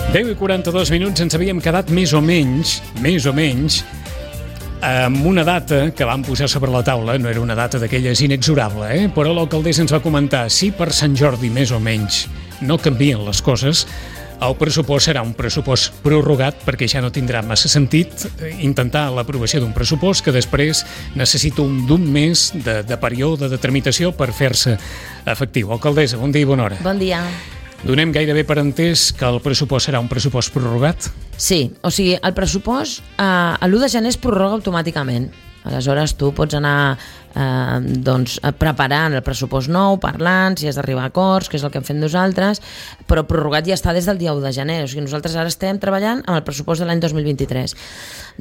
10:42, ens havíem quedat més o menys, amb una data que vam posar sobre la taula. No era una data d'aquelles inexorable, però l'alcaldessa ens va comentar: si per Sant Jordi més o menys no canvien les coses, el pressupost serà un pressupost prorrogat, perquè ja no tindrà massa sentit intentar l'aprovació d'un pressupost que després necessita d'un mes de període de tramitació per fer-se efectiu. Alcaldessa, bon dia i bona hora. Bon dia. Donem gairebé per entès que el pressupost serà un pressupost prorrogat? Sí, o sigui, el pressupost a l'1 de gener es prorroga automàticament. Aleshores tu pots anar preparant el pressupost nou, parlant, si has d'arribar a acords, que és el que hem fet nosaltres, però prorrogat ja està des del dia 1 de gener. O sigui, nosaltres ara estem treballant amb el pressupost de l'any 2023.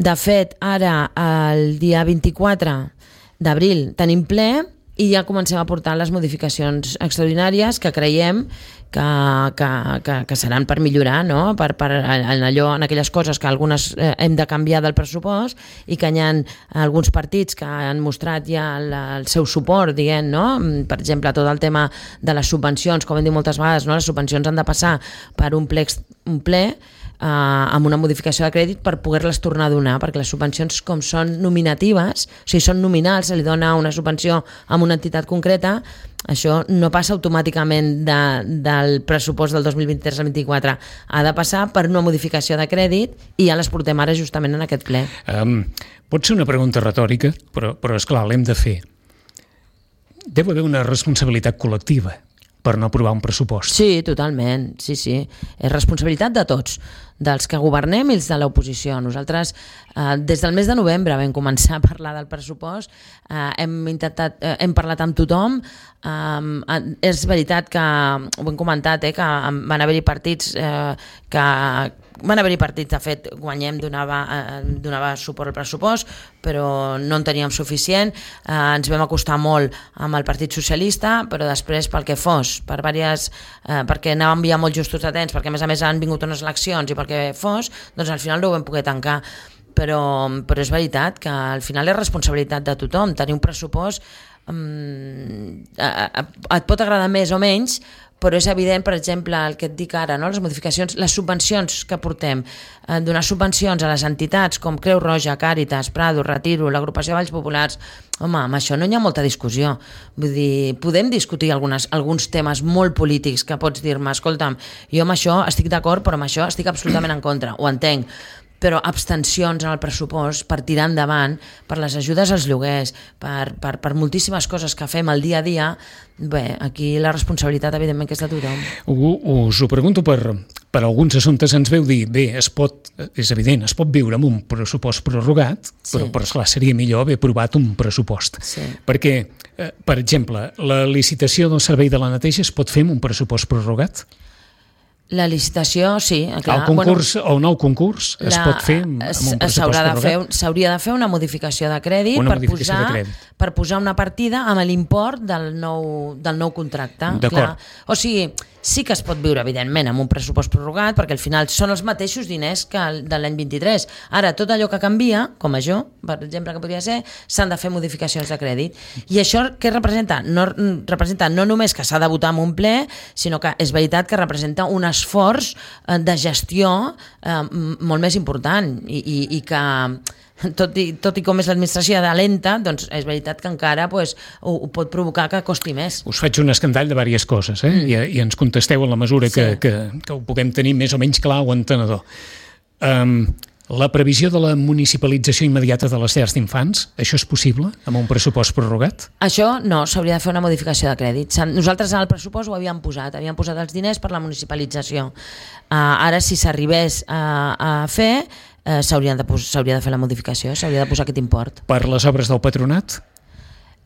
De fet, ara, el dia 24 d'abril, tenim ple i ja comencem a portar les modificacions extraordinàries que creiem que seran per millorar, no? En aquelles coses que algunes hem de canviar del pressupost i que hi ha alguns partits que han mostrat ja el seu suport, diguem, no? Per exemple, tot el tema de les subvencions, com hem dit moltes vegades, no? Les subvencions han de passar per un ple amb una modificació de crèdit per poder-les tornar a donar, perquè les subvencions, com són nominatives, o sigui, són nominals, se li dona una subvenció a una entitat concreta, això no passa automàticament del pressupost del 2023 al 2024, ha de passar per una modificació de crèdit i ja les portem ara justament en aquest ple. Pot ser una pregunta retòrica, però esclar, l'hem de fer. Deu haver una responsabilitat col·lectiva per no aprovar un pressupost. Sí, totalment, sí. És responsabilitat de tots, dels que governem i els de l'oposició. Nosaltres, des del mes de novembre vam començar a parlar del pressupost, hem parlat amb tothom, és veritat que, ho hem comentat, que van haver-hi partits de fet, Guanyem donava suport al pressupost, però no en teníem suficient. Ens vam acostar molt amb el Partit Socialista, però després, pel que fos, perquè anàvem ja molt justos de temps, perquè a més han vingut unes eleccions i pel que fos, doncs al final no ho vam poder tancar. Però és veritat que al final és responsabilitat de tothom. Tenir un pressupost et pot agradar més o menys, però és evident, per exemple, el que et dic ara, no? Les modificacions, les subvencions que portem, donar subvencions a les entitats com Creu Roja, Càritas, Prado, Retiro, l'Agrupació de Valls Populars, home, amb això no hi ha molta discussió. Vull dir, podem discutir alguns temes molt polítics que pots dir-me, escolta'm, jo amb això estic d'acord, però amb això estic absolutament en contra, ho entenc, però abstencions en el pressupost per tirar endavant, per les ajudes als lloguers, per moltíssimes coses que fem al dia a dia. Bé, aquí la responsabilitat evidentment que és de tothom. Us ho pregunto per alguns assumptes. Ens veu dir, bé, és evident, es pot viure amb un pressupost prorrogat, però esclar, seria millor haver aprovat un pressupost. Sí. Perquè, per exemple, la licitació del servei de la neteja es pot fer amb un pressupost prorrogat? La licitació, sí. Clar. El nou concurs es pot fer amb un pressupost prorrogat? S'hauria de fer una modificació de crèdit per posar una partida amb l'import del nou contracte. D'acord. O sigui, sí que es pot viure, evidentment, amb un pressupost prorrogat, perquè al final són els mateixos diners que de l'any 23. Ara, tot allò que canvia, com això, per exemple, que podria ser, s'han de fer modificacions de crèdit. I això què representa? Representa no només que s'ha de votar en un ple, sinó que és veritat que representa un esforç de gestió molt més important i que tot i com és l'administració de lenta, doncs és veritat que encara ho pot provocar que costi més. Us faig un escandall de diverses coses, i ens contesteu en la mesura que ho puguem tenir més o menys clar o entenedor. La previsió de la municipalització immediata de les llars d'infants, això és possible amb un pressupost prorrogat? Això no, s'hauria de fer una modificació de crèdit. Nosaltres en el pressupost ho havíem posat els diners per la municipalització. Ara, si s'arribés a fer, s'hauria de fer la modificació, s'hauria de posar aquest import. Per les obres del patronat?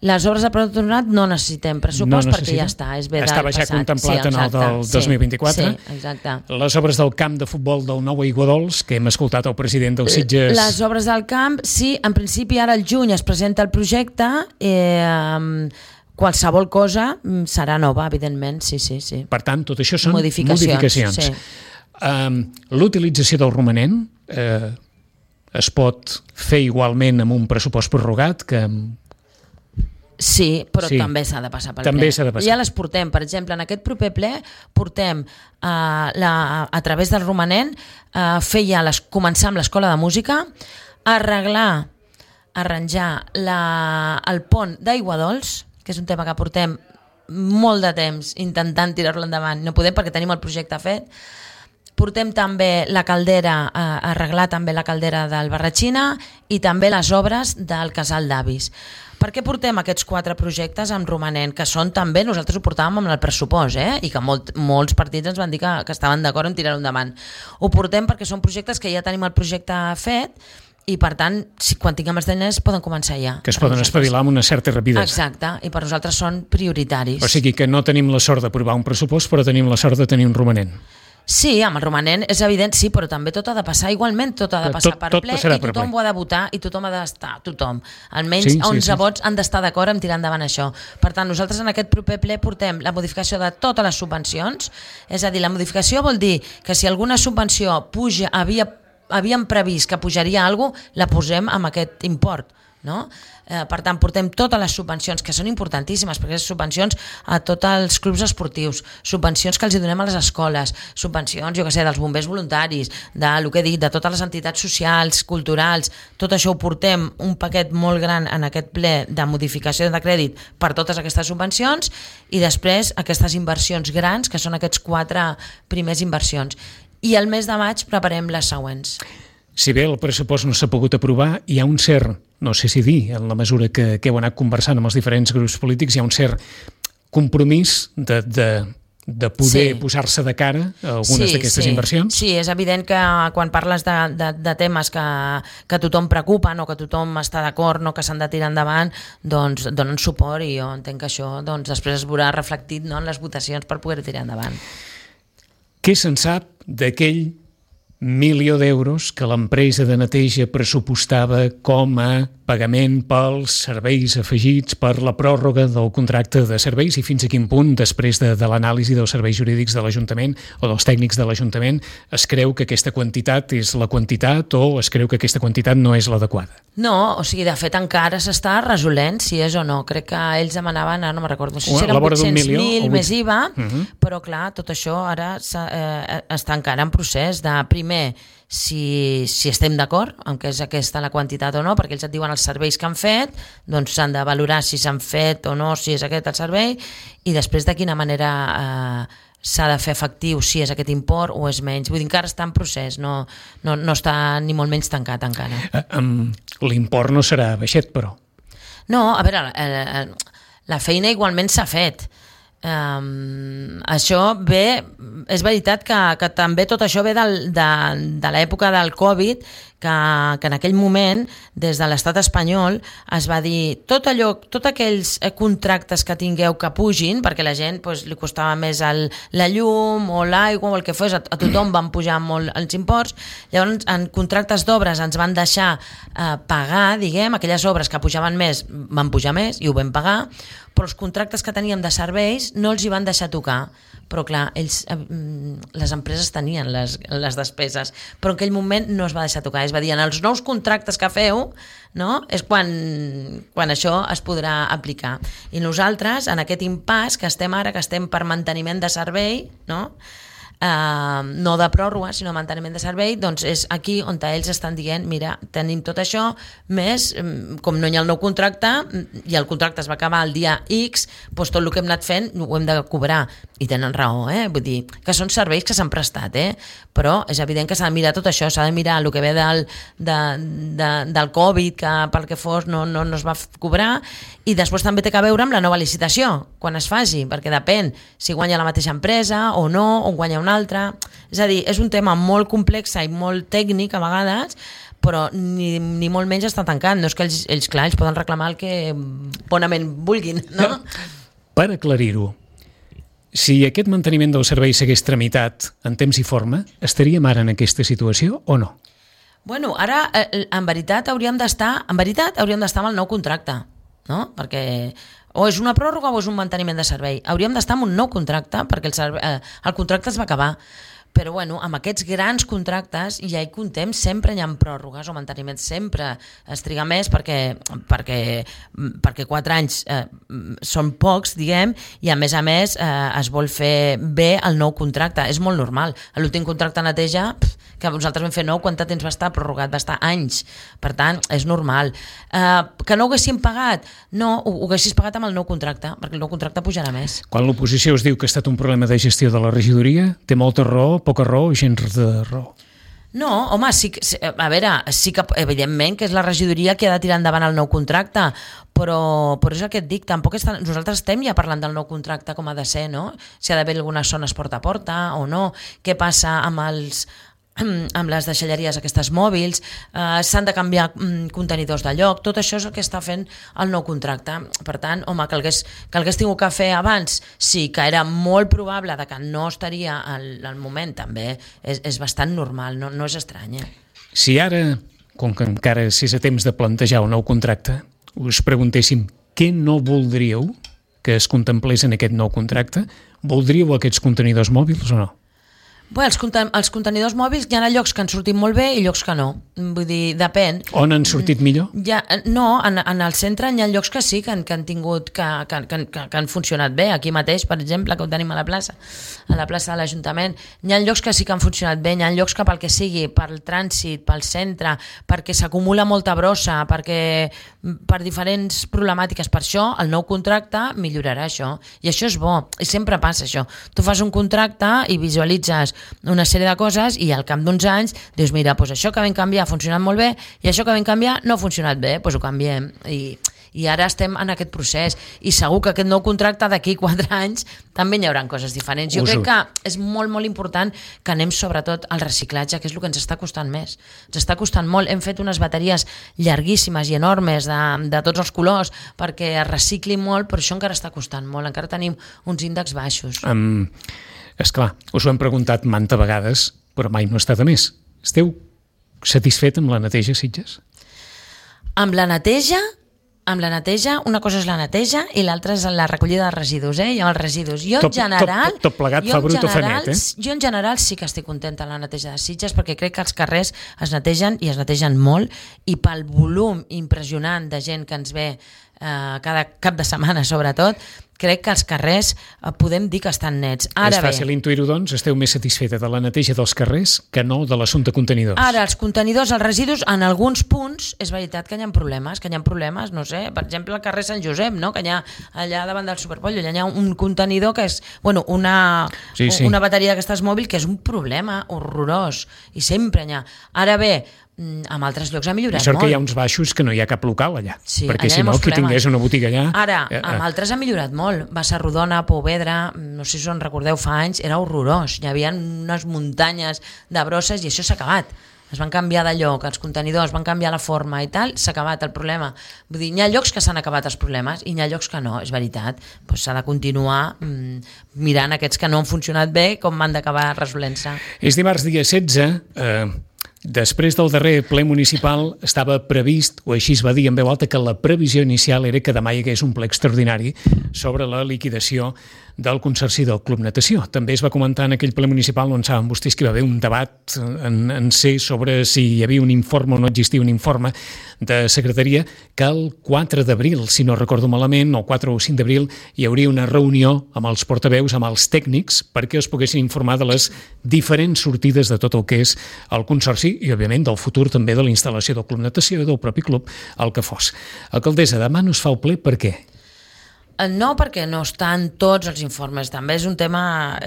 Les obres del patronat no necessitem pressupost perquè ja està, és bé del passat. Estava ja contemplat en el del 2024. Sí, exacte. Les obres del camp de futbol del Nou Aiguadols, que hem escoltat el president del Sitges... Les obres del camp, sí, en principi ara al juny es presenta el projecte, qualsevol cosa serà nova, evidentment, sí. Per tant, tot això són modificacions. Sí. L'utilització del romanent es pot fer igualment amb un pressupost prorrogat que Sí, però també s'ha de passar pel també ple. s'ha de passar. Ja les portem, per exemple, en aquest proper ple portem a través del romanent començar amb l'escola de música, arranjar el pont d'Aiguadols, que és un tema que portem molt de temps intentant tirar-lo endavant, no podem perquè tenim el projecte fet. Portem també la caldera, arreglar també la caldera del Barratxina i també les obres del Casal d'Avis. Per què portem aquests 4 projectes amb romanent, que són també, nosaltres ho portàvem amb el pressupost, i que molts partits ens van dir que estaven d'acord en tirar-ho endavant. Ho portem perquè són projectes que ja tenim el projecte fet i, per tant, quan tinguem els diners poden començar ja. Que es poden espavilar amb una certa rapidesa. Exacte, i per nosaltres són prioritaris. O sigui que no tenim la sort d'aprovar un pressupost, però tenim la sort de tenir un romanent. Sí, amb el romanent és evident, sí, però també tot ha de passar igualment, tot ha de passar per ple i tothom ho ha de votar i tothom ha d'estar, tothom. Almenys 11 vots han d'estar d'acord en tirar endavant això. Per tant, nosaltres en aquest proper ple portem la modificació de totes les subvencions, és a dir, la modificació vol dir que si alguna subvenció puja, havíem previst que pujaria alguna cosa, la posem amb aquest import, no? Per tant, portem totes les subvencions, que són importantíssimes, perquè són subvencions a tots els clubs esportius, subvencions que els donem a les escoles, subvencions, jo què sé, dels bombers voluntaris, del que he dit, de totes les entitats socials, culturals, tot això ho portem un paquet molt gran en aquest ple de modificació de crèdit per totes aquestes subvencions i després aquestes inversions grans, que són aquests 4 primers inversions. I al mes de maig preparem les següents. Si bé el pressupost no s'ha pogut aprovar, hi ha un cert, no sé si dir, en la mesura que heu anat conversant amb els diferents grups polítics, hi ha un cert compromís de poder posar-se de cara a algunes d'aquestes inversions? Sí, és evident que quan parles de temes que tothom preocupen o que tothom està d'acord, no, que s'han de tirar endavant, doncs donen suport i jo entenc que això després es veurà reflectit, no, en les votacions per poder tirar endavant. Què se'n sap d'aquell milió d'euros que l'empresa de neteja pressupostava com a pagament pels serveis afegits per la pròrroga del contracte de serveis i fins a quin punt, després de l'anàlisi dels serveis jurídics de l'Ajuntament o dels tècnics de l'Ajuntament, es creu que aquesta quantitat és la quantitat o es creu que aquesta quantitat no és l'adequada? No, o sigui, de fet encara s'està resolent si és o no. Crec que ells demanaven, no me'n recordo, no sé si eren 800.000 més IVA, però clar, tot això ara està encara en procés de primer si estem d'acord amb que és aquesta la quantitat o no, perquè ells et diuen els serveis que han fet, doncs s'han de valorar si s'han fet o no, si és aquest el servei, i després de quina manera s'ha de fer efectiu, si és aquest import o és menys. Vull dir, encara està en procés, no està ni molt menys tancat encara. L'import no serà baixet, però. No, a veure, la feina igualment s'ha fet. Això ve, és veritat que també tot això ve de l'època del Covid, que en aquell moment des de l'estat espanyol es va dir tots aquells contractes que tingueu que pugin, perquè la gent li costava més la llum o l'aigua o el que fos, a tothom van pujar molt els imports. Llavors en contractes d'obres ens van deixar pagar, diguem, aquelles obres que pujaven més van pujar més i ho vam pagar, però els contractes que teníem de serveis no els hi van deixar tocar. Però clar, les empreses tenien les despeses, però en aquell moment no es va deixar tocar. Es va dir, en els nous contractes que feu, no, és quan això es podrà aplicar. I nosaltres, en aquest impàs que estem ara, que estem per manteniment de servei, no de pròrroga, sinó manteniment de servei, doncs és aquí on ells estan dient, mira, tenim tot això, més, com no hi ha el nou contracte, i el contracte es va acabar el dia X, doncs tot el que hem anat fent ho hem de cobrar. I tenen raó, vull dir, que són serveis que s'han prestat, però és evident que s'ha de mirar tot això, s'ha de mirar el que ve del Covid, que pel que fos no es va cobrar, i després també té que veure amb la nova licitació, quan es faci, perquè depèn si guanya la mateixa empresa o no, o guanya una altra. És a dir, és un tema molt complex i molt tècnic a vegades, però ni molt menys està tancat. No és que ells poden reclamar el que bonament vulguin, no? Per aclarir-ho, si aquest manteniment del servei s'hagués tramitat en temps i forma, estaríem ara en aquesta situació o no? Bueno, ara, en veritat, hauríem d'estar amb el nou contracte, no? Perquè o és una pròrroga o és un manteniment de servei. Hauríem d'estar amb un nou contracte, perquè el contracte es va acabar. Però bueno, amb aquests grans contractes ja hi comptem, sempre hi ha pròrrogues o manteniments, sempre es triga més perquè 4 anys són pocs, diguem, i a més es vol fer bé el nou contracte. És molt normal. L'últim contracte de neteja, que nosaltres vam fer nou, quant temps va estar prorrogat? Va estar anys. Per tant, és normal. Que no ho haguéssim pagat? No, ho haguessis pagat amb el nou contracte, perquè el nou contracte pujarà més. Quan l'oposició es diu que ha estat un problema de gestió de la regidoria, té molta raó, poca raó o gens de raó? No, home, sí que evidentment que és la regidoria que ha de tirar endavant el nou contracte, però és el que et dic, nosaltres estem ja parlant del nou contracte com ha de ser, no? Si ha d'haver algunes zones porta a porta o no, què passa amb les deixalleries aquestes mòbils, s'han de canviar contenidors de lloc, tot això és el que està fent el nou contracte. Per tant, home, que hagués tingut que fer abans, sí, que era molt probable que no estaria al moment, també és bastant normal, no és estrany. Si ara, com que encara és a temps de plantejar un nou contracte, us preguntéssim què no voldríeu que es contemplés en aquest nou contracte, voldríeu aquests contenidors mòbils o no? Bé, els contenidors mòbils hi ha llocs que han sortit molt bé i llocs que no. Vull dir, depèn. On han sortit millor? No, en el centre hi ha llocs que sí, que han tingut, que han funcionat bé. Aquí mateix, per exemple, que ho tenim a la plaça de l'Ajuntament. Hi ha llocs que sí que han funcionat bé, hi ha llocs que pel que sigui, pel trànsit, pel centre, perquè s'acumula molta brossa, per diferents problemàtiques. Per això, el nou contracte millorarà això. I això és bo, i sempre passa això. Tu fas un contracte i visualitzes una sèrie de coses i al cap d'uns anys dius, mira, doncs això que vam canviar ha funcionat molt bé i això que vam canviar no ha funcionat bé, doncs ho canviem. I ara estem en aquest procés i segur que aquest nou contracte d'aquí 4 anys també hi haurà coses diferents. Jo crec que és molt, molt important que anem sobretot al reciclatge, que és el que ens està costant més. Ens està costant molt. Hem fet unes bateries llarguíssimes i enormes de tots els colors perquè es recicli molt, però això encara està costant molt. Encara tenim uns índexs baixos. Esclar, us ho hem preguntat manta vegades, però mai no està de més. Esteu satisfet amb la neteja, Sitges? Amb la neteja, una cosa és la neteja i l'altra és la recollida de residus, i amb els residus. Jo en general... Tot plegat fa brut o fa net, Jo en general sí que estic contenta amb la neteja de Sitges perquè crec que els carrers es netegen i es netegen molt i pel volum impressionant de gent que ens ve cada cap de setmana, sobretot, crec que els carrers podem dir que estan nets. És fàcil intuir-ho, doncs? Esteu més satisfeta de la neteja dels carrers que no de l'assumpte contenidors? Ara, els contenidors, els residus, en alguns punts, és veritat que hi ha problemes, no sé, per exemple, al carrer Sant Josep, no? Que hi ha allà davant del Superpollo, allà hi ha un contenidor que és, una bateria d'aquestes mòbil que és un problema horrorós, i sempre hi ha. Ara bé, en altres llocs ha millorat molt. Sort que hi ha uns baixos que no hi ha cap local allà, sí, perquè allà si no, qui tingués una botiga allà... Ara, amb altres ha millorat molt. Bassarrodona, Pouvedra, no sé si us en recordeu, fa anys, era horrorós. Hi havia unes muntanyes de brosses i això s'ha acabat. Es van canviar de lloc, els contenidors van canviar la forma i tal, s'ha acabat el problema. Vull dir, hi ha llocs que s'han acabat els problemes i hi ha llocs que no, és veritat. Pues s'ha de continuar mirant aquests que no han funcionat bé com han d'acabar resolent-se. És dimarts dia 16... Després del darrer ple municipal estava previst, o així es va dir en veu alta, que la previsió inicial era que demà hi hagués un ple extraordinari sobre la liquidació del Consorci del Club Natació. També es va comentar en aquell ple municipal on saben vostès que hi va haver un debat en ser sobre si hi havia un informe o no existia un informe de secretaria, que el 4 d'abril, si no recordo malament, o 4 o 5 d'abril, hi hauria una reunió amb els portaveus, amb els tècnics, perquè es poguessin informar de les diferents sortides de tot el que és el Consorci i, òbviament, del futur també de la instal·lació del Club Natació i del propi club, el que fos. Alcaldessa, demà no es fa el ple, per què? No, perquè no estan tots els informes. També és un tema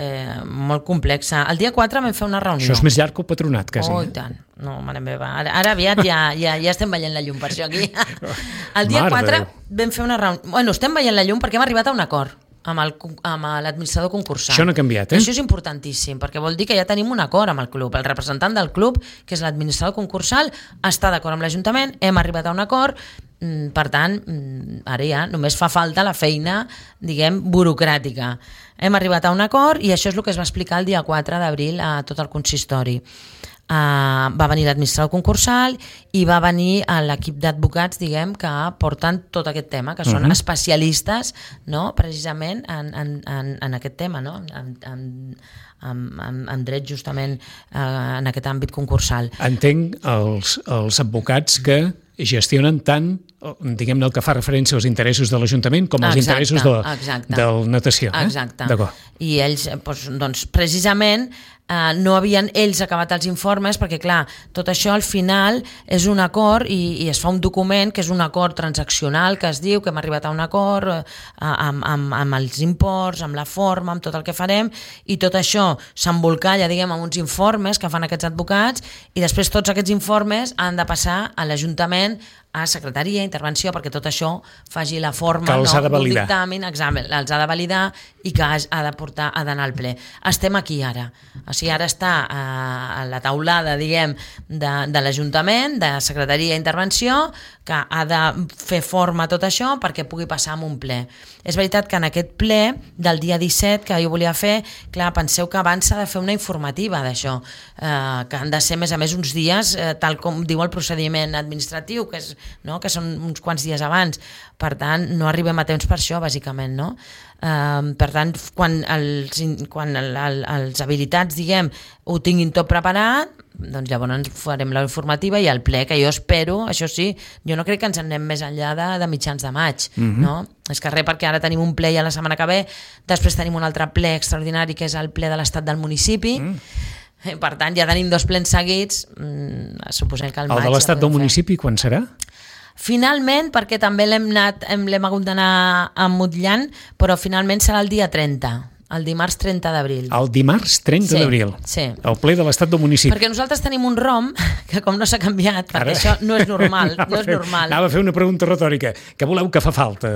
molt complex. El dia 4 vam fer una reunió. Això és més llarg que el patronat, quasi. Oh, i tant. No, mare meva. Ara aviat ja estem veient la llum per això aquí. El dia 4 vam fer una reunió. Bueno, estem veient la llum perquè hem arribat a un acord amb l'administrador concursal. Això no ha canviat, Això és importantíssim, perquè vol dir que ja tenim un acord amb el club. El representant del club, que és l'administrador concursal, està d'acord amb l'Ajuntament, hem arribat a un acord, per tant, ara ja només fa falta la feina, diguem, burocràtica. Hem arribat a un acord i això és el que es va explicar el dia 4 d'abril a tot el consistori. va venir l'administrador concursal i va venir l'equip d'advocats, diguem, que porten tot aquest tema, que són especialistes, no?, precisament en aquest tema, no?, en dret justament en aquest àmbit concursal. Entenc els advocats que gestionen tant, diguem-ne, el que fa referència als interessos de l'Ajuntament com als interessos del natació. Exacte. I ells, doncs, precisament, no havien ells acabat els informes perquè, clar, tot això al final és un acord i es fa un document que és un acord transaccional que es diu que hem arribat a un acord amb els imports, amb la forma, amb tot el que farem, i tot això s'embolcalla, diguem, amb uns informes que fan aquests advocats i després tots aquests informes han de passar a l'Ajuntament, a secretaria, intervenció, perquè tot això faci la forma, que els ha de validar. Dictamen, examen, els ha de validar i que ha d'anar al ple. Estem aquí ara. O sigui, ara està a la taulada, diguem, de l'Ajuntament, de secretaria i intervenció, que ha de fer forma a tot això perquè pugui passar a un ple. És veritat que en aquest ple del dia 17 que jo volia fer, clar, penseu que abans s'ha de fer una informativa d'això, que han de ser, a més uns dies, tal com diu el procediment administratiu, que són uns quants dies abans. Per tant, no arribem a temps per això, bàsicament, no? Per tant, quan els habilitats, diguem, ho tinguin tot preparat, doncs llavors farem la informativa i el ple, que jo espero, això sí, jo no crec que ens anem més enllà de mitjans de maig, no? És que res, perquè ara tenim un ple ja la setmana que ve, després tenim un altre ple extraordinari que és el ple de l'estat del municipi. Per tant, ja tenim 2 plens seguits, suposem que al maig... El de l'estat del municipi quan serà? Finalment, perquè també l'hem hagut d'anar emmotllant, però finalment serà el dia 30, el dimarts 30 d'abril. El dimarts 30 d'abril? Sí. El ple de l'estat del municipi. Perquè nosaltres tenim un ROM, que com no s'ha canviat, perquè això no és normal. Anava a fer una pregunta retòrica. Què voleu que fa falta?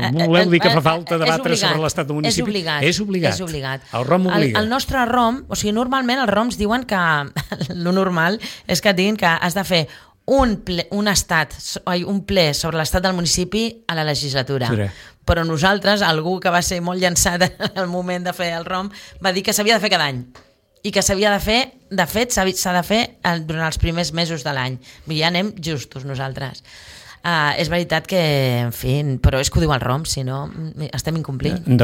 Voleu dir que fa falta debatre sobre l'estat del municipi? És obligat. El ROM obliga. El nostre ROM, o sigui, normalment els ROMs diuen que lo normal és que diguin que has de fer un ple sobre l'estat del municipi a la legislatura. Però nosaltres, algú que va ser molt llançat al moment de fer el ROM, va dir que s'havia de fer cada any i que s'havia de fer, de fet, s'ha de fer durant els primers mesos de l'any. Ja anem justos nosaltres. És veritat que, en fi, però és que ho diu el ROM, si no estem incomplint. Jo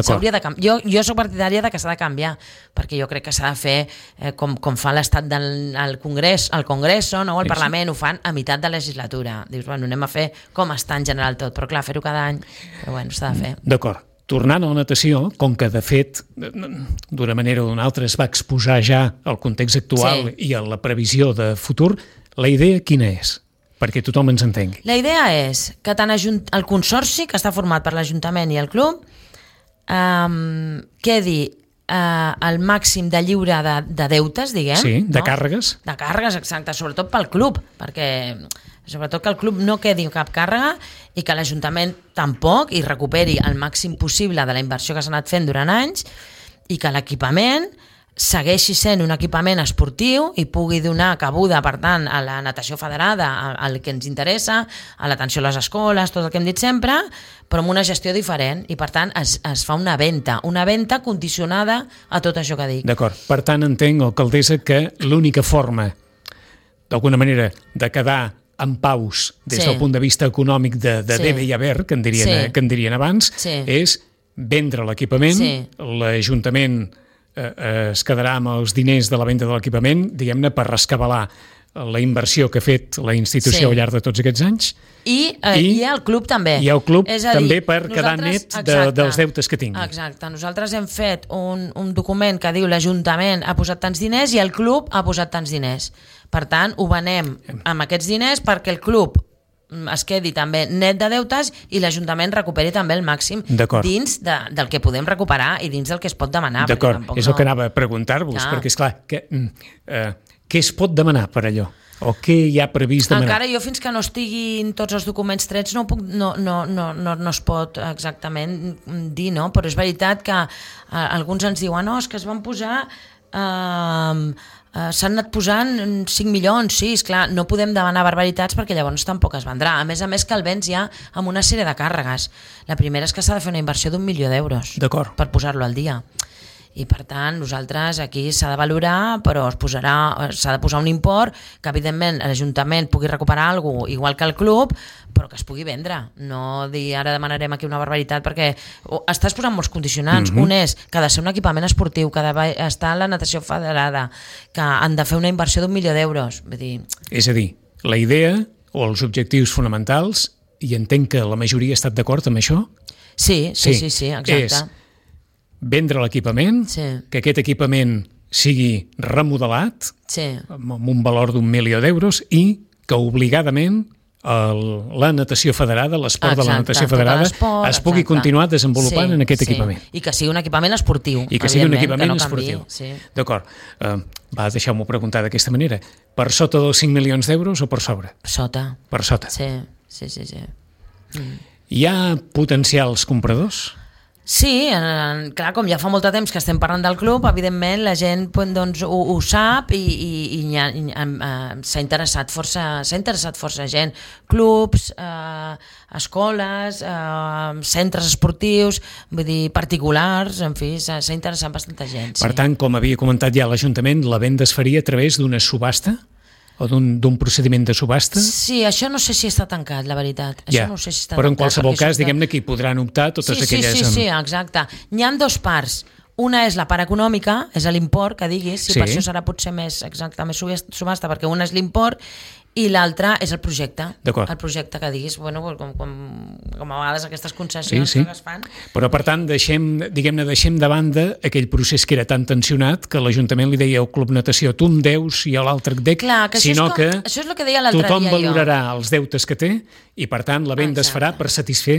soc partidària de que s'ha de canviar, perquè jo crec que s'ha de fer com fa l'estat del Congrés, el Congreso, no? El Parlament, ho fan a meitat de legislatura. Dius, bueno, anem a fer com està en general tot, però clar, fer-ho cada any, però bueno, s'ha de fer. D'acord. Tornant a la natació, com que de fet d'una manera o d'una altra es va exposar ja el context actual i a la previsió de futur, la idea quina és? Perquè tothom ens entengui. La idea és que tant el consorci, que està format per l'Ajuntament i el club, quedi el màxim de lliure de deutes, diguem. Sí, de càrregues. De càrregues, exacte, sobretot pel club, perquè sobretot que el club no quedi cap càrrega i que l'Ajuntament tampoc i recuperi el màxim possible de la inversió que s'ha anat fent durant anys i que l'equipament segueixi sent un equipament esportiu i pugui donar cabuda, per tant, a la natació federada, al que ens interessa, a l'atenció a les escoles, tot el que hem dit sempre, però amb una gestió diferent i, per tant, es fa una venda condicionada a tot això que dic. D'acord. Per tant, entenc, alcaldessa, que l'única forma, d'alguna manera, de quedar en paus des del punt de vista econòmic de debe i haver, que en dirien abans, és vendre l'equipament, l'Ajuntament es quedarà amb els diners de la venda de l'equipament, diguem-ne, per rescabalar la inversió que ha fet la institució al llarg de tots aquests anys. I el club també. I el club també per quedar net dels deutes que tingui. Exacte. Nosaltres hem fet un document que diu l'Ajuntament ha posat tants diners i el club ha posat tants diners. Per tant, ho venem amb aquests diners perquè el club es quedi també net de deutes i l'Ajuntament recuperi també el màxim dins del que podem recuperar i dins del que es pot demanar. D'acord, és el que anava a preguntar-vos, perquè és clar, què es pot demanar per allò? O què hi ha previst demanar? Encara jo fins que no estiguin tots els documents trets no es pot exactament dir, no? Però és veritat que alguns ens diuen és que es van posar... s'han anat posant 5 milions, sí, esclar, no podem demanar barbaritats perquè llavors tampoc es vendrà. A més que el vens ja amb una sèrie de càrregues. La primera és que s'ha de fer una inversió d'1 milió d'euros per posar-lo al dia. I per tant, nosaltres aquí s'ha de valorar, però s'ha de posar un import que evidentment l'Ajuntament pugui recuperar alguna cosa igual que el club, però que es pugui vendre. No dir ara demanarem aquí una barbaritat, perquè estàs posant molts condicionants. Un és que ha de ser un equipament esportiu, que ha d'estar a la natació federada, que han de fer una inversió d'1 milió d'euros. Vull dir... És a dir, la idea o els objectius fonamentals, i entenc que la majoria ha estat d'acord amb això? Sí, exacte. És vendre l'equipament, que aquest equipament sigui remodelat amb un valor d'1 milió d'euros i que obligadament la natació federada, l'esport de la natació federada es pugui continuar desenvolupant en aquest equipament. I que sigui un equipament esportiu. I que sigui un equipament esportiu. D'acord. Deixeu-m'ho preguntar d'aquesta manera. Per sota dels 5 milions d'euros o per sobre? Per sota. Sí. Hi ha potencials compradors? Sí, clar, com ja fa molt de temps que estem parlant del club, evidentment la gent doncs, ho sap i s'ha interessat força gent. Clubs, escoles, centres esportius, vull dir, particulars, en fi, s'ha interessat bastanta gent. Per tant, com havia comentat ja l'Ajuntament, la venda es faria a través d'una subhasta? O d'un procediment de subhasta? Sí, això no sé si està tancat, la veritat. Això no sé si està però en tancat, qualsevol cas, diguem-ne que hi podran optar totes aquelles... Sí, exacte. N'hi ha dues parts. Una és la part econòmica, és l'import, que diguis, per això serà potser més subhasta, perquè una és l'import i l'altra és el projecte. El projecte que diguis, com a vegades aquestes concessions que es fan. Però per tant, deixem de banda aquell procés que era tan tensionat que l'Ajuntament li deia al Club Natació tu em deus i a l'altre et dec, sinó que tothom valorarà els deutes que té i per tant la venda es farà per satisfer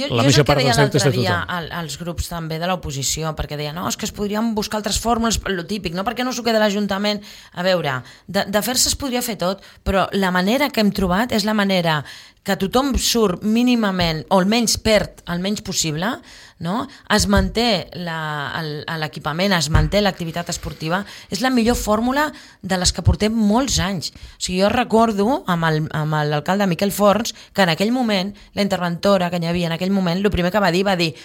la major part dels deutes de tothom. Jo és el que deia l'altre dia als grups també de l'oposició, perquè deia, no, és que es podrien buscar altres fórmules, lo típic, no? Perquè no s'ho queda l'Ajuntament? A veure, de fer-se es podria fer tot, però la manera que hem trobat és la manera que tothom surt mínimament, o almenys perd el menys possible, no? Es manté l'equipament, es manté l'activitat esportiva, és la millor fórmula de les que portem molts anys. O sigui, jo recordo amb l'alcalde Miquel Forns que en aquell moment, la interventora que hi havia en aquell moment, el primer que va dir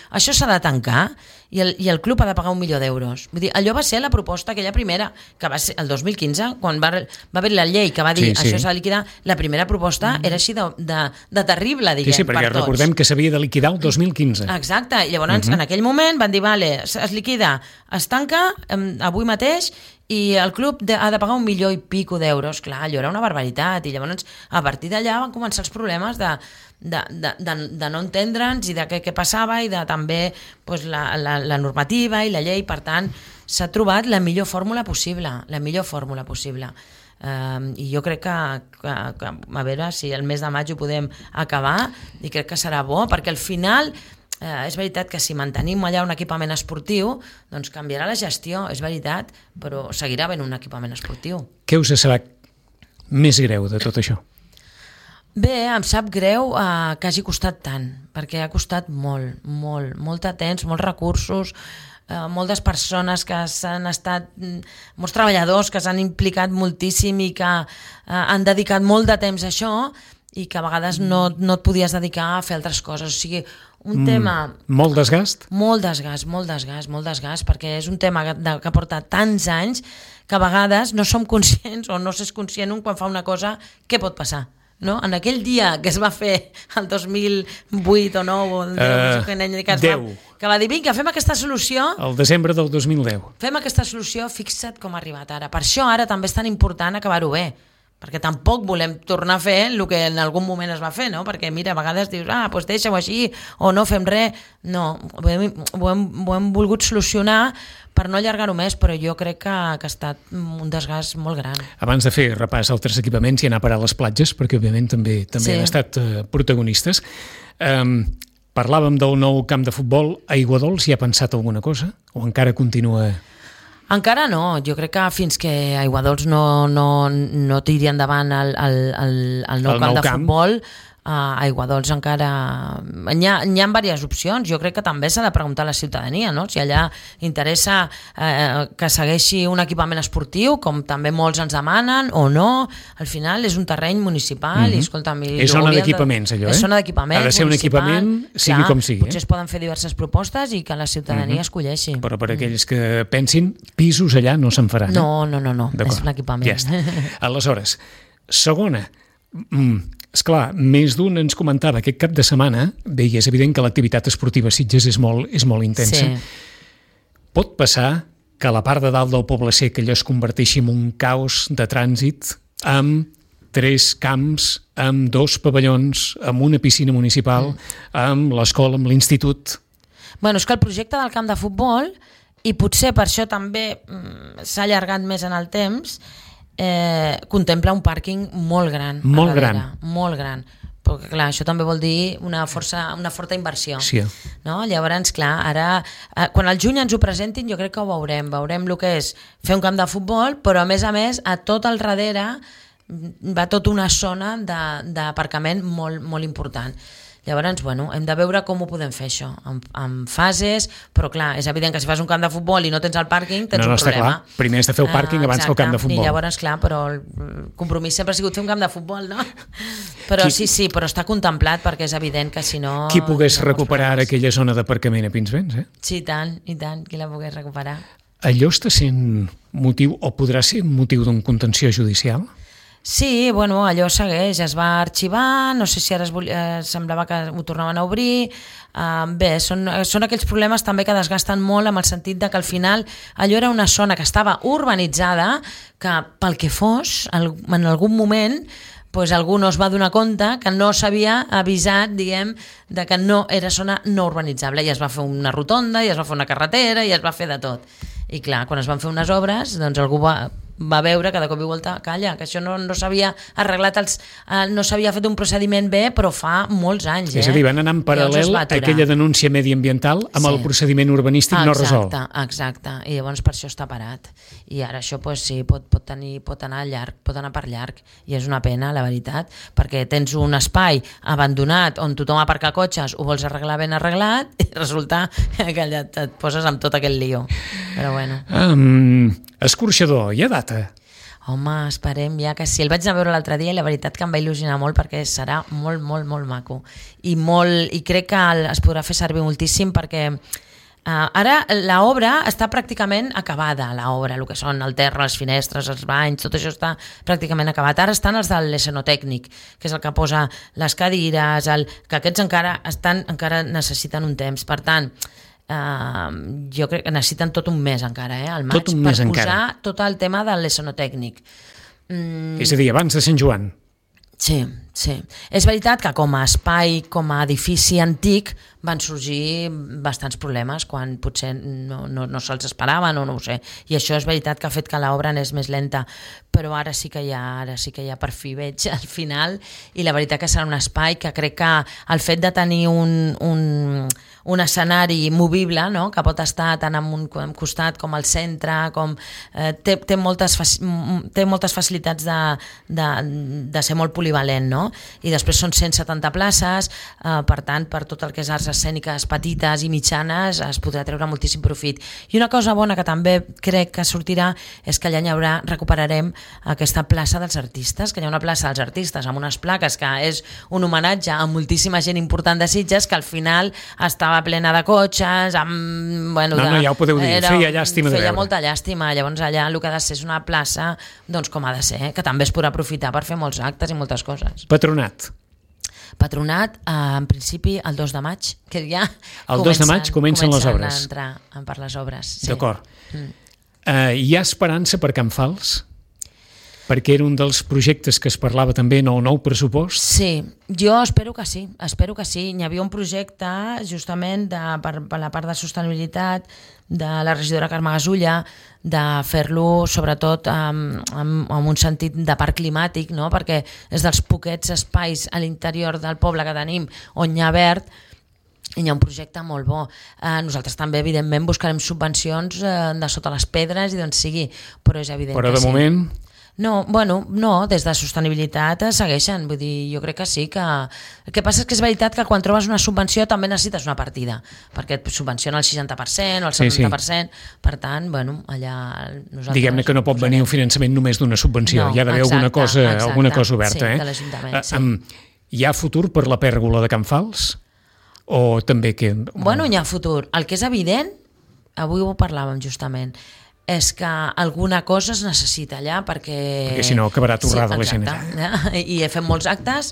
això s'ha de tancar i el club ha de pagar 1 milió d'euros. Vull dir, allò va ser la proposta aquella primera, que va ser el 2015, quan va haver la llei que va dir això s'ha de liquidar, la primera proposta era així de terrible, diguem, per tots. Sí, perquè recordem que s'havia de liquidar el 2015. Exacte, i llavors en aquell moment van dir, es liquida, es tanca avui mateix i el club ha de pagar 1 milió i pico d'euros. Clar, allò era una barbaritat i llavors a partir d'allà van començar els problemes de no entendre'ns i de què passava i de també la normativa i la llei. Per tant, s'ha trobat la millor fórmula possible, i jo crec que a veure si el mes de maig ho podem acabar i crec que serà bo, perquè al final és veritat que si mantenim allà un equipament esportiu doncs canviarà la gestió, és veritat, però seguirà havent un equipament esportiu. Què us serà més greu de tot això? Bé, em sap greu que hagi costat tant, perquè ha costat molt de temps, molts recursos, moltes persones que s'han estat, molts treballadors que s'han implicat moltíssim i que han dedicat molt de temps a això i que a vegades no et podies dedicar a fer altres coses. O sigui, un tema... Molt desgast? Molt desgast, perquè és un tema que porta tants anys que a vegades no som conscients o no s'és conscient quan fa una cosa, què pot passar? No? En aquell dia que es va fer el 2008 o 9 o el 10 que va dir, vinga, fem aquesta solució el desembre del 2010 fem aquesta solució, fixa't com ha arribat ara. Per això ara també és tan important acabar-ho bé, perquè tampoc volem tornar a fer el que en algun moment es va fer, no? Perquè mira, a vegades dius, doncs deixa-ho així o no fem res. No, ho hem volgut solucionar per no allargar-ho més, però jo crec que ha estat un desgast molt gran. Abans de fer repàs a altres equipaments i anar a parar a les platges, perquè òbviament també han estat protagonistes, parlàvem del nou camp de futbol a Aiguadols. Hi ha pensat alguna cosa? O encara continua... Encara no, jo crec que fins que Aiguadols no tiri endavant el nou camp de futbol, a Aiguadols encara... N'hi ha diverses opcions. Jo crec que també s'ha de preguntar a la ciutadania, no? Si allà interessa que segueixi un equipament esportiu, com també molts ens demanen, o no. Al final és un terreny municipal i, escolta'm... És zona d'equipaments, allò, És zona d'equipaments. Ha de ser un equipament, sigui com sigui. Potser es poden fer diverses propostes i que la ciutadania escolleixi. Però per aquells que pensin, pisos allà no se'n faran. No. És un equipament. Ja està. Aleshores, segona... Esclar, més d'un ens comentava aquest cap de setmana, bé, i és evident que l'activitat esportiva a Sitges és molt intensa. Sí. Pot passar que a la part de dalt del Poble Sec allò es converteixi en un caos de trànsit amb 3 camps, amb 2 pavellons, amb una piscina municipal, amb l'escola, amb l'institut. Bueno, és que el projecte del camp de futbol, i potser per això també s'ha allargat més en el temps, contempla un pàrquing molt gran. Molt gran. Molt gran. Perquè, clar, això també vol dir una forta inversió. Sí. No? Llavors, clar, ara, quan al juny ens ho presentin, jo crec que ho veurem. Veurem el que és fer un camp de futbol, però a més, a tot al darrere va tota una zona d'aparcament molt important. Llavors, bueno, hem de veure com ho podem fer això, en fases, però clar, és evident que si fas un camp de futbol i no tens el pàrquing, tens un problema. Clar. Primer has de fer el pàrquing abans que el camp de futbol. I llavors, clar, però el compromís sempre ha sigut fer un camp de futbol, no? Però sí, però està contemplat perquè és evident que si no... Qui pogués recuperar aquella zona d'aparcament a Pinsbens, Sí, i tant, qui la pogués recuperar. Allò està sent motiu, o podrà ser motiu d'un contenció judicial? Sí, bueno, allò segueix, es va arxivar, no sé si ara semblava que ho tornaven a obrir, bé, són aquells problemes també que desgasten molt amb el sentit de que al final allò era una zona que estava urbanitzada, que pel que fos, en algun moment pues algú no es va donar compte que no s'havia avisat, diguem, de que no era zona no urbanitzable, i es va fer una rotonda, i es va fer una carretera, i es va fer de tot. I clar, quan es van fer unes obres, doncs algú va veure que de cop i volta, calla, que això no s'havia arreglat, no s'havia fet un procediment bé, però fa molts anys. És a dir, van anar en paral·lel aquella denúncia mediambiental amb el procediment urbanístic no resolt. Exacte, i llavors per això està parat. I ara això sí, pot anar llarg, pot anar per llarg, i és una pena, la veritat, perquè tens un espai abandonat on tothom aparca cotxes, ho vols arreglar ben arreglat, i resulta que allà et poses amb tot aquest lío. Però bueno. Escorxador, hi ha data? Home, esperem ja que sí. El vaig anar a veure l'altre dia i la veritat que em va il·lusionar molt perquè serà molt maco. I crec que es podrà fer servir moltíssim perquè ara l'obra està pràcticament acabada, el que són el terra, les finestres, els banys, tot això està pràcticament acabat. Ara estan els de l'escenotècnic, que és el que posa les cadires, que aquests encara necessiten un temps. Per tant, jo crec que necessiten tot un mes encara, al maig, per posar tot el tema de l'escenotècnic. És a dir, abans de Sant Joan. Sí. És veritat que com a espai, com a edifici antic, van sorgir bastants problemes quan potser no se'ls esperaven o no ho sé. I això és veritat que ha fet que l'obra anés més lenta, però ara sí que hi ha per fi veig al final, i la veritat que serà un espai que crec que el fet de tenir un escenari movible, no? Que pot estar tant en un costat com al centre, té moltes facilitats de ser molt polivalent, no? I després són 170 places, per tant, per tot el que és arts escèniques petites i mitjanes es podrà treure moltíssim profit. I una cosa bona que també crec que sortirà és que allà recuperarem aquesta plaça dels artistes, que hi ha una plaça dels artistes amb unes plaques que és un homenatge a moltíssima gent important de Sitges, que al final estava plena de cotxes, amb... ja ho podeu dir, feia llàstima de veure. Feia molta llàstima, llavors allà el que ha de ser és una plaça, doncs com ha de ser, que també es podrà aprofitar per fer molts actes i moltes coses. Patronat, en principi, el 2 de maig, que ja el 2 de maig comencen les obres. A entrar per les obres. Sí. D'acord. Hi ha esperança per Can Fals? Perquè era un dels projectes que es parlava també en el nou pressupost? Sí, jo espero que sí. Hi havia un projecte justament per la part de sostenibilitat de la regidora Carme Gasulla, de fer-lo sobretot amb un sentit de parc climàtic, no? Perquè és dels poquets espais a l'interior del poble que tenim on hi ha verd, i hi ha un projecte molt bo. Nosaltres també, evidentment, buscarem subvencions de sota les pedres i d'on sigui, però és evident que sí. Però de moment... No, des de sostenibilitat segueixen, vull dir, jo crec que sí, que el que passa és que és veritat que quan trobes una subvenció també necessites una partida, perquè et subvenciona el 60% o el 70%, per tant, allà nosaltres... Diguem-ne que no pot venir un finançament només d'una subvenció, hi ha d'haver alguna cosa oberta. Sí, de l'Ajuntament, sí. Hi ha futur per la pèrgola de Can Fals? O també que... Hi ha futur. El que és evident, avui ho parlàvem justament, és que alguna cosa es necessita allà perquè si no acabarà torrada la gent. I fem molts actes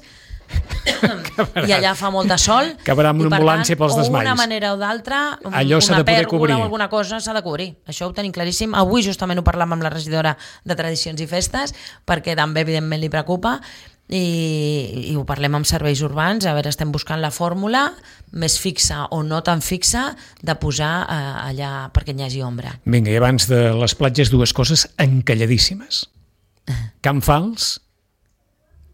i allà fa molt de sol acabarà amb una ambulància pels desmais. D'una manera o d'altra allò s'ha de poder cobrir. O alguna cosa s'ha de cobrir, això ho tenim claríssim. Avui justament ho parlàvem amb la regidora de Tradicions i Festes perquè també evidentment li preocupa i ho parlem amb serveis urbans, a veure, estem buscant la fórmula més fixa o no tan fixa de posar allà perquè hi hagi ombra. Vinga, i abans de les platges, dues coses encalladíssimes. Can Fals,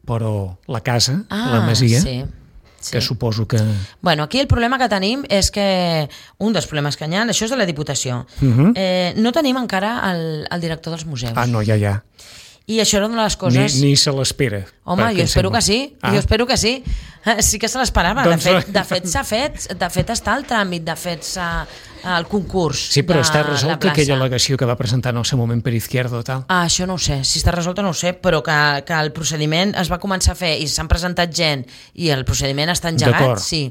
però la casa, la masia, sí. que suposo que... Aquí el problema que tenim és que un dels problemes que hi ha, això és de la Diputació, no tenim encara el director dels museus. No, ja. I això era una de les coses... Ni se l'espera. Home, jo espero que sí. Jo espero que sí. Sí que se l'esperava. De fet, s'ha fet. De fet, està el tràmit. De fet, el concurs. Sí, però està resolt aquella al·legació que va presentar en el seu moment per Izquierdo, tal? Això no ho sé. Si està resolt no ho sé, però que el procediment es va començar a fer i s'han presentat gent i el procediment està engegat, sí.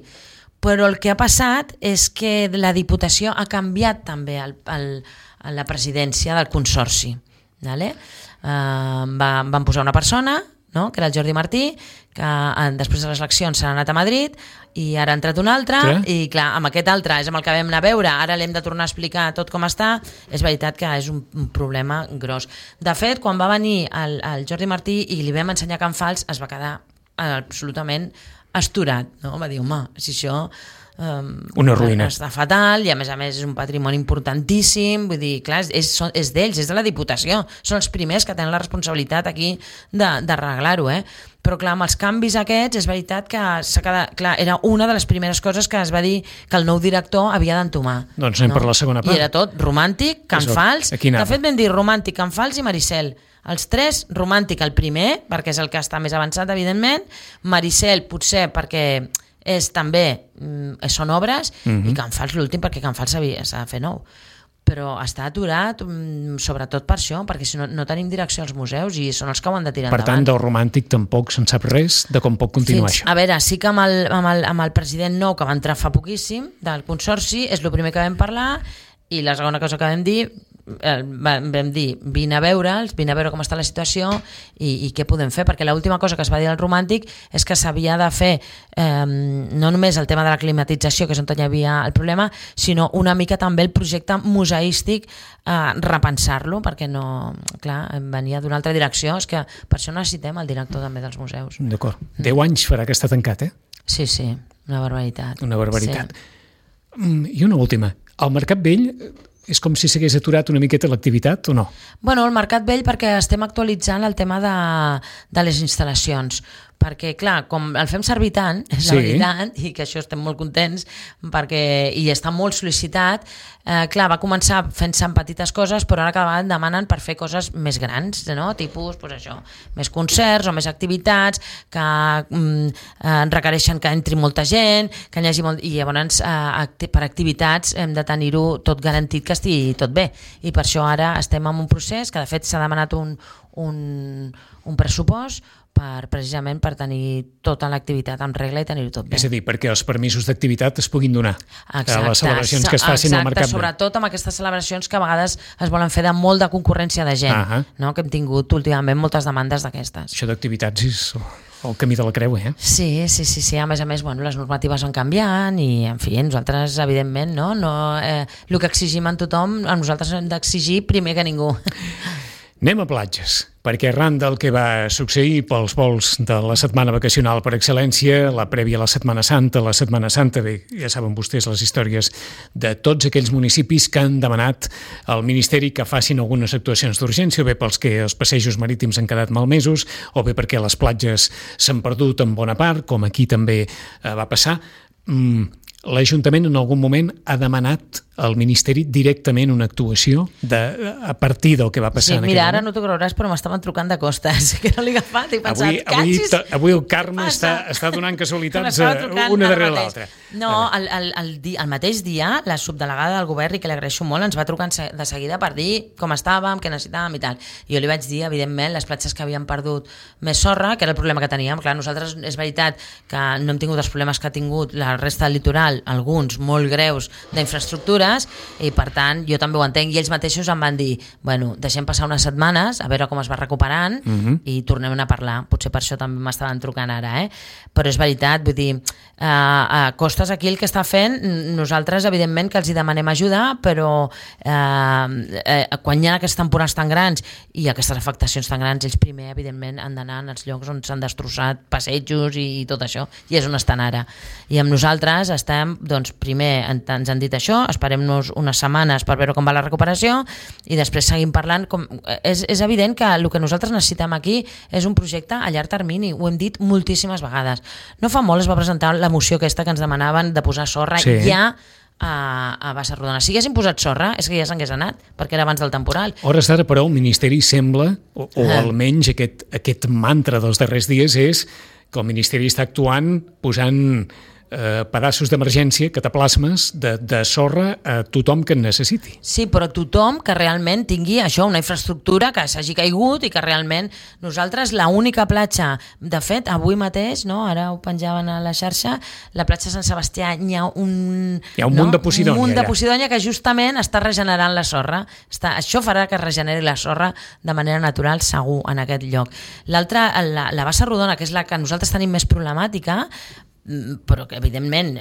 Però el que ha passat és que la Diputació ha canviat també la presidència del Consorci. Vale? Van posar una persona, no? Que era el Jordi Martí, que després de les eleccions s'ha anat a Madrid i ara ha entrat un altre i clar, amb aquest altre és amb el que vam anar a veure, ara l'hem de tornar a explicar tot com està. És veritat que és un problema gros. De fet, quan va venir el Jordi Martí i li vam ensenyar Can Fals, es va quedar absolutament astorat, no? Va dir, home, si això... una ruïna. Està fatal i a més és un patrimoni importantíssim, vull dir, clar, és d'ells, és de la Diputació, són els primers que tenen la responsabilitat aquí d'arreglar-ho, però clar, amb els canvis aquests és veritat que s'ha quedat, clar, era una de les primeres coses que es va dir que el nou director havia d'entomar. Doncs anem per la segona part. I era tot romàntic, Can Fals, de fet vam dir romàntic, Can Fals i Maricel. Els tres, romàntic el primer, perquè és el que està més avançat, evidentment, Maricel potser perquè són obres, i Can Fals l'últim perquè Can Fals s'ha de fer nou, però està aturat sobretot per això, perquè si no tenim direcció als museus i són els que ho han de tirar endavant. Per tant, del romàntic tampoc se'n sap res de com pot continuar això. A veure, sí que amb el president nou que va entrar fa poquíssim del Consorci és el primer que vam parlar i la segona cosa que vam dir vine a veure'ls, vine a veure com està la situació i què podem fer, perquè l'última cosa que es va dir al romàntic és que s'havia de fer no només el tema de la climatització, que és on hi havia el problema, sinó una mica també el projecte museístic, repensar-lo, perquè no, clar, venia d'una altra direcció. És que per això necessitem el director també dels museus. D'acord. 10 anys farà que està tancat, Sí, una barbaritat. Una barbaritat. I una última. El Mercat Vell és com si s'hagués aturat una miqueta l'activitat o no? El Mercat Vell perquè estem actualitzant el tema de les instal·lacions, perquè clar, com el fem servir tant, és la veritat, i que això estem molt contents i està molt sol·licitat, clar, va començar fent-se en petites coses, però ara cada vegada demanen per fer coses més grans, no? Tipus, més concerts o més activitats que requereixen que entri molta gent, que hi hagi i llavors per activitats hem de tenir-ho tot garantit que estigui tot bé, i per això ara estem en un procés que de fet s'ha demanat un pressupost precisament per tenir tota l'activitat en regla i tenir-ho tot bé. És a dir, perquè els permisos d'activitat es puguin donar a les celebracions que es facin al Mercat Vell. Sobretot amb aquestes celebracions que a vegades es volen fer de molt de concurrència de gent, que hem tingut últimament moltes demandes d'aquestes. Això d'activitats és el camí de la creu, Sí. A més, les normatives van canviant i, en fi, nosaltres, evidentment, el que exigim en tothom, a nosaltres hem d'exigir primer que ningú. Anem a platges, perquè arran del que va succeir pels vols de la setmana vacacional per excel·lència, la prèvia a la Setmana Santa, bé, ja saben vostès les històries de tots aquells municipis que han demanat al Ministeri que facin algunes actuacions d'urgència, o bé pels que els passejos marítims han quedat malmesos, o bé perquè les platges s'han perdut en bona part, com aquí també va passar. L'Ajuntament en algun moment ha demanat al Ministeri directament una actuació a partir del que va passar en aquell mira, ara moment? no t'ho creuràs, però m'estaven trucant de Costes, que no l'he agafat i he pensat... Avui el Carme està donant casualitats una darrere l'altra. No, el mateix dia, la subdelegada del govern, i que li agraeixo molt, ens va trucar de seguida per dir com estàvem, què necessitàvem i tal. I jo li vaig dir, evidentment, les platges que havien perdut més sorra, que era el problema que teníem. Clar, nosaltres és veritat que no hem tingut els problemes que ha tingut la resta del litoral, alguns molt greus d'infraestructura, i per tant jo també ho entenc, i ells mateixos em van dir, bueno, deixem passar unes setmanes a veure com es va recuperant i tornem a parlar, potser per això també m'estaven trucant ara, però és veritat, vull dir, a Costes aquí el que està fent, nosaltres evidentment que els hi demanem ajuda, però quan hi ha aquestes temporades tan grans i aquestes afectacions tan grans, ells primer evidentment han d'anar als llocs on s'han destrossat passejos i tot això, i és on estan ara, i amb nosaltres estem, doncs primer ens han dit això, esperem-nos unes setmanes per veure com va la recuperació i després seguim parlant. És evident que el que nosaltres necessitem aquí és un projecte a llarg termini, ho hem dit moltíssimes vegades. No fa molt es va presentar la moció aquesta que ens demanaven de posar sorra ja a Bassa Rodona. Si haguessin posat sorra és que ja s'hagués anat, perquè era abans del temporal. Hores d'ara, però, el Ministeri sembla, o almenys aquest mantra dels darrers dies és que el Ministeri està actuant posant pedaços d'emergència, cataplasmes de sorra a tothom que en necessiti. Sí, però tothom que realment tingui això, una infraestructura que s'hagi caigut i que realment nosaltres, l'única platja, de fet, avui mateix, no, ara ho penjaven a la xarxa, la platja Sant Sebastià, hi ha un munt de Posidònia. Un munt de Posidònia que justament està regenerant la sorra. Això farà que es regeneri la sorra de manera natural, segur, en aquest lloc. L'altra, la Bassa Rodona, que és la que nosaltres tenim més problemàtica, però que evidentment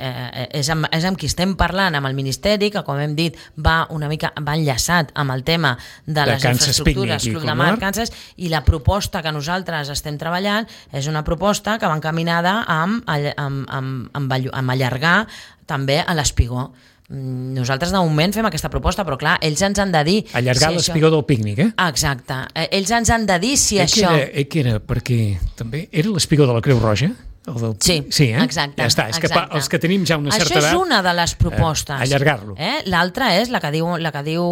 és amb qui estem parlant, amb el Ministeri, que com hem dit va enllaçat amb el tema de les infraestructures Club de Mar, Kansas, i la proposta que nosaltres estem treballant és una proposta que va encaminada amb allargar també a l'Espigó. Nosaltres de moment fem aquesta proposta, però clar, ells ens han de dir... Allargar l'Espigó del pícnic, Exacte. Ells ens han de dir si això... Que era perquè també era l'Espigó de la Creu Roja? Sí, exacte. Ja està, és que els que tenim ja una certa edat... Això és una de les propostes. Allargar-lo. L'altra és, la que diu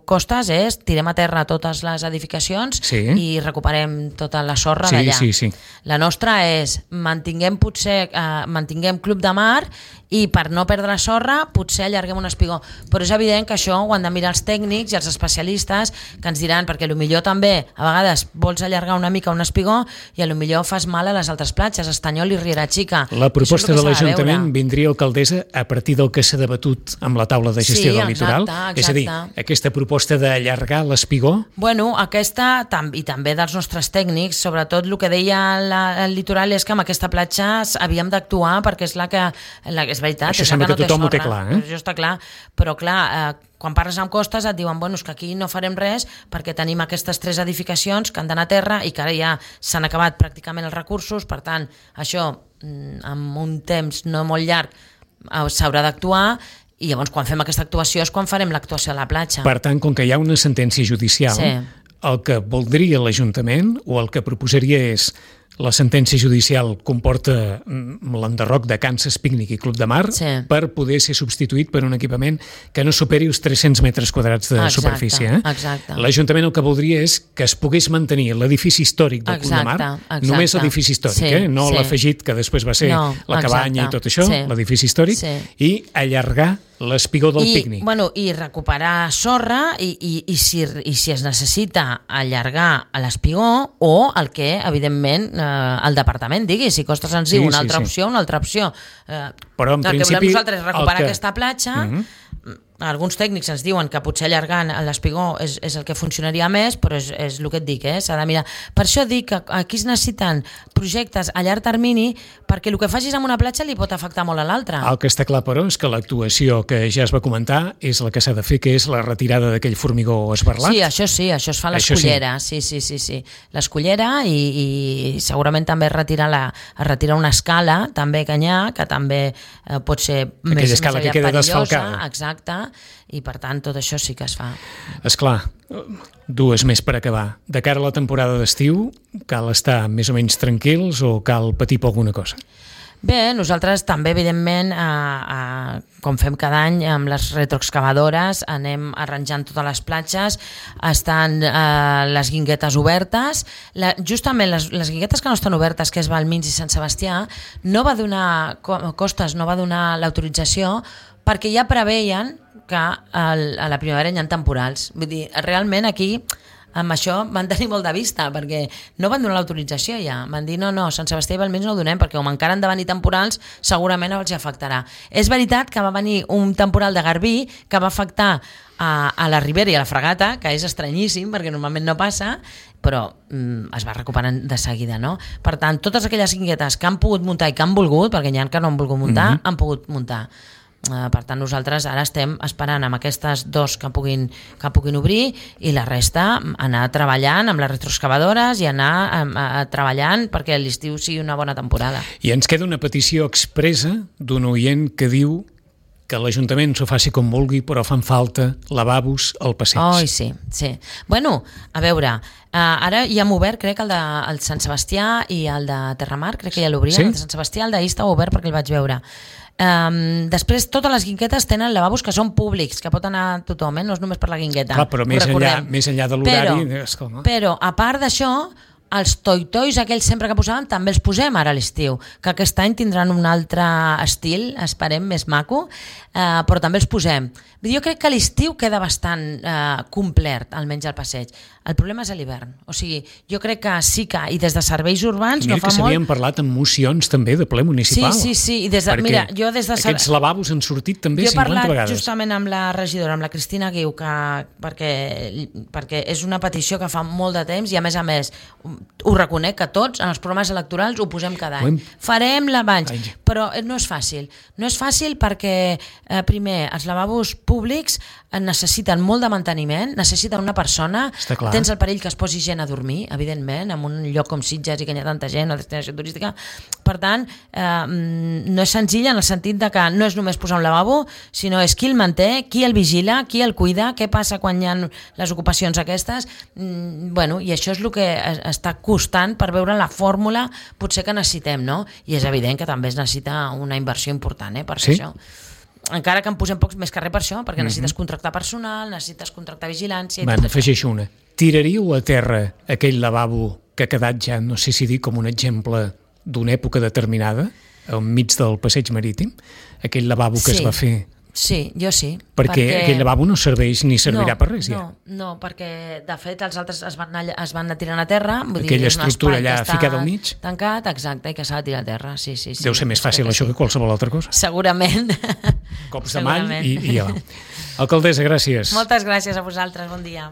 Costes, és tirem a terra totes les edificacions i recuperem tota la sorra d'allà. Sí. La nostra és, mantinguem Club de Mar i per no perdre la sorra potser allarguem un espigó. Però és evident que això ho han de mirar els tècnics i els especialistes, que ens diran, perquè potser també a vegades vols allargar una mica un espigó i potser fas mal a les altres platges, Estanyol i Riera Xica. La proposta de l'Ajuntament vindria, alcaldessa, a partir del que s'ha debatut amb la taula de gestió del litoral? Exacte. És a dir, aquesta proposta d'allargar l'espigó? Bueno, aquesta, i també dels nostres tècnics, sobretot el que deia el litoral és que amb aquesta platja havíem d'actuar perquè és la que és veritat. Això sembla que tothom ho té clar, Això està clar, però clar, quan parles amb Costes et diuen és que aquí no farem res perquè tenim aquestes 3 edificacions que han d'anar a terra i que ara ja s'han acabat pràcticament els recursos, per tant, això amb un temps no molt llarg s'haurà d'actuar, i llavors quan fem aquesta actuació és quan farem l'actuació a la platja. Per tant, com que hi ha una sentència judicial, el que voldria l'Ajuntament o el que proposaria és la sentència judicial comporta l'enderroc de Kansas Pícnic i Club de Mar per poder ser substituït per un equipament que no superi els 300 metres quadrats de superfície. Exacte. L'Ajuntament el que voldria és que es pogués mantenir l'edifici històric del Club de Mar, només l'edifici històric, no l'afegit que després va ser la cabanya i tot això, l'edifici històric, i allargar l'espigó del pícnic. I recuperar sorra i si es necessita allargar a l'espigó o el que, evidentment, el departament digui, si Costes ens diu una altra opció, una altra opció. Però en principi... El que volem nosaltres és recuperar aquesta platja, alguns tècnics ens diuen que potser allargant l'espigó és el que funcionaria més, però és el que et dic, s'ha de mirar. Per això dic que aquí es necessiten projectes a llarg termini, perquè el que facis amb una platja li pot afectar molt a l'altra. El que està clar, però, és que l'actuació que ja es va comentar és la que s'ha de fer, que és la retirada d'aquell formigó esberlat. Sí, això es fa a l'Escullera. Sí. L'Escullera i segurament també es retira una escala també que n'hi ha, que també pot ser aquella escala que queda desfalcada. Exacte. I per tant tot això sí que es fa. Esclar, 2 més per acabar. De cara a la temporada d'estiu, cal estar més o menys tranquils o cal patir per alguna cosa? Bé, nosaltres també, evidentment, com fem cada any amb les retroexcavadores, anem arranjant totes les platges, estan les guinguetes obertes. Justament les guinguetes que no estan obertes, que és Valmins i Sant Sebastià, Costes no va donar l'autorització perquè ja preveien que a la primavera hi ha temporals. Vull dir, realment aquí amb això van tenir molt de vista, perquè no van donar l'autorització ja. Van dir, no, Sant Sebastià i Valmins no ho donem, perquè com encara han de venir temporals, segurament els afectarà. És veritat que va venir un temporal de Garbí que va afectar a la Ribera i a la Fragata, que és estranyíssim, perquè normalment no passa, però es va recuperant de seguida, no? Per tant, totes aquelles guinguetes que han pogut muntar i que han volgut, perquè n'hi ha que no han volgut muntar, han pogut muntar. Per tant, nosaltres ara estem esperant amb aquestes dos que puguin obrir i la resta anar treballant amb les retroexcavadores i anar treballant perquè l'estiu sigui una bona temporada. I ens queda una petició expressa d'un oient que diu que l'Ajuntament s'ho faci com vulgui, però fan falta lavabos al passeig. Oh, sí. Bueno, a veure, ara ja hem obert, crec, el de Sant Sebastià i el de Terramar, crec que ja l'obrien. Sí? El de Sant Sebastià, el d'ahir estava obert perquè el vaig veure. Després totes les guinguetes tenen lavabos que són públics, que pot anar tothom, no és només per la guingueta. Clar, però més enllà de l'horari... Però a part d'això, els toitois aquells sempre que posaven també els posem ara a l'estiu, que aquest any tindran un altre estil, esperem, més maco, però també els posem. Jo crec que l'estiu queda bastant complet, almenys al passeig. El problema és a l'hivern. O sigui, jo crec que sí que, i des de serveis urbans no fa molt... Mira que s'havien parlat en mocions també de ple municipal. Sí. I mira, jo des de aquests lavabos han sortit també 50 vegades. Jo he parlat justament amb la regidora, amb la Cristina Guiu, perquè és una petició que fa molt de temps i a més ho reconec que tots en els programes electorals ho posem cada any. Farem lavabos, però no és fàcil. No és fàcil perquè, primer, els lavabos públics necessiten molt de manteniment, necessiten una persona, tens el perill que es posi gent a dormir, evidentment, en un lloc com Sitges i que hi ha tanta gent, una destinació turística. Per tant, no és senzill en el sentit de que no és només posar un lavabo, sinó és qui el manté, qui el vigila, qui el cuida, què passa quan hi ha les ocupacions aquestes. I això és el que està costant per veure la fórmula potser que necessitem, no? I és evident que també es necessita una inversió important, per fer això. Encara que en posem pocs més que res per això, perquè necessites contractar personal, necessites contractar vigilància... Afegeixo una. Tiraríeu a terra aquell lavabo que ha quedat ja, no sé si dir, com un exemple d'una època determinada, enmig del passeig marítim? Aquell lavabo que es va fer... Sí, jo sí. Perquè aquell lavabo no serveix ni servirà per res, ja. No, perquè de fet els altres es van anar tirant a terra. Aquella estructura allà ficada al mig. Tancat, exacte, i que s'ha de tirar a terra. Sí. Deu ser més fàcil això que qualsevol altra cosa. Segurament. Cops de mall i ja va. Alcaldessa, gràcies. Moltes gràcies a vosaltres, bon dia.